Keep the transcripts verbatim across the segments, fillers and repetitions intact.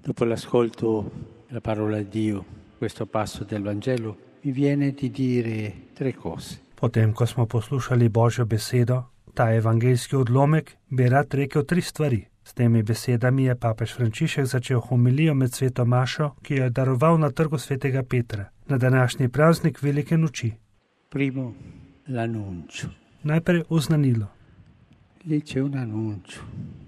Dopo l'ascolto della parola di Dio, questo passo del Vangelo, mi viene di dire tre cose. Potem, ko smo poslušali Božjo besedo, ta evangeljski odlomek, bi rad rekel tri stvari. S temi besedami je papež Frančišek začel homilijo med sveto mašo, ki jo je daroval na trgu svetega Petra, na današnji praznik velike noči. Primo, l'annuncio. Najprej oznanilo. Lì c'è un annuncio.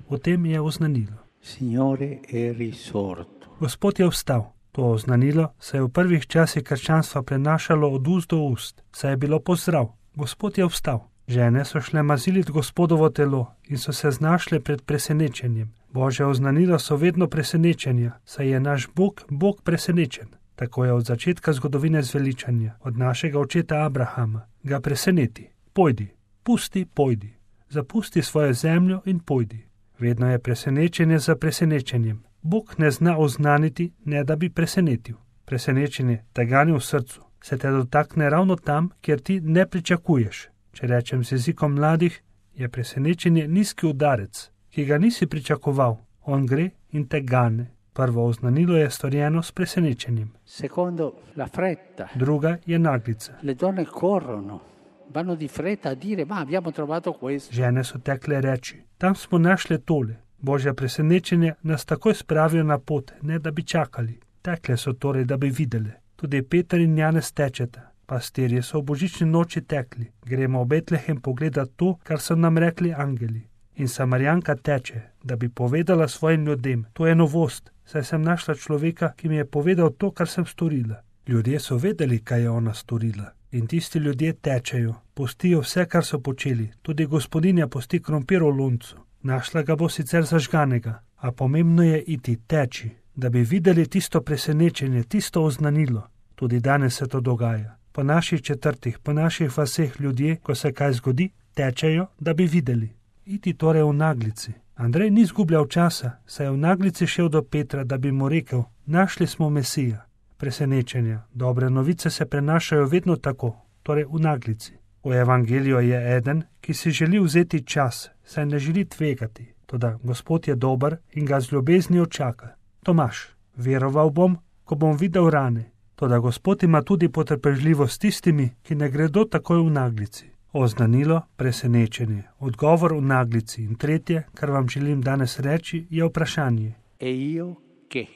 V tem je oznanilo. Signore è risorto. Gospod je vstal. To oznanilo se je v prvih časih krščanstva prenašalo od ust do ust, saj je bilo pozdrav. Gospod je vstal. Žene so šle mazilit Gospodovo telo in so se znašle pred presenečenjem. Božje oznanilo so vedno presenečenja, saj je naš Bog, Bog presenečen. Tako je od začetka zgodovine zveličanja, od našega očeta Abrahama. Ga preseneti. Pojdi, pusti, pojdi. Zapusti svojo zemljo in pojdi. Vedno je presenečenje za presenečenjem. Bog ne zna oznaniti, ne da bi presenetil. Presenečenje te gani v srcu, se te dotakne ravno tam, kjer ti ne pričakuješ. Če rečem z jezikom mladih, je presenečenje nizki udarec, ki ga nisi pričakoval. On gre in te gane. Prvo oznanilo je storjeno s presenečenjem. Secondo, la fretta. Druga je naglica. Le donne corrono, vanno di fretta a dire, ma abbiamo trovato questo. Žene so tekle reči, tam smo našle tole. Božja presenečenja nas takoj spravijo na pot, ne da bi čakali. Tekle so torej, da bi videle. Tudi Peter in Janez tečeta. Pastirji so v božični noči tekli. Gremo v Betlehem pogledati to, kar so nam rekli angeli. In Samarijanka teče, da bi povedala svojim ljudem. To je novost, saj sem našla človeka, ki mi je povedal to, kar sem storila. Ljudje so vedeli, kaj je ona storila. In tisti ljudje tečejo, pustijo vse, kar so počeli. Tudi gospodinja pusti krompir v loncu. Našla ga bo sicer zažganega, a pomembno je iti, teči, da bi videli tisto presenečenje, tisto oznanilo. Tudi danes se to dogaja. Po naših četrtih, po naših vaseh ljudje, ko se kaj zgodi, tečejo, da bi videli. Iti torej v naglici. Andrej ni zgubljal časa, saj je v naglici šel do Petra, da bi mu rekel, našli smo Mesija. Presenečenja, dobre novice se prenašajo vedno tako, torej v naglici. V evangeliju je eden, ki si želi vzeti čas, saj ne želi tvegati, toda Gospod je dober in ga z ljubeznijo čaka. Tomaž, veroval bom, ko bom videl rane, toda Gospod ima tudi potrpežljivost s tistimi, ki ne gredo takoj v naglici. Oznanilo, presenečenje, odgovor v naglici in tretje, kar vam želim danes reči, je vprašanje. E io che?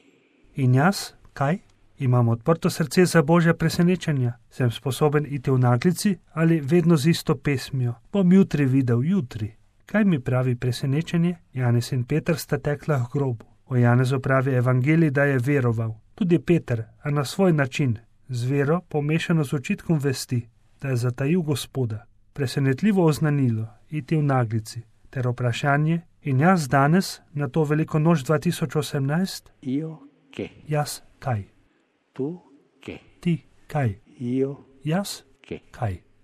In jaz, kaj? Imam odprto srce za Božja presenečenja? Sem sposoben iti v naglici ali vedno z isto pesmijo? Bom jutri videl, jutri. Kaj mi pravi presenečenje? Janez in Peter sta tekla k grobu. O Janezu pravi evangelij, da je veroval. Tudi Peter, a na svoj način, z vero pomešano z očitkom vesti, da je zatajil Gospoda. Presenetljivo oznanilo, iti v naglici, ter vprašanje, in jaz danes, na to veliko noč dva tisoč osemnajst? Io che? Jaz kaj? Tu che? Ti kaj? Io Jaz che? kaj?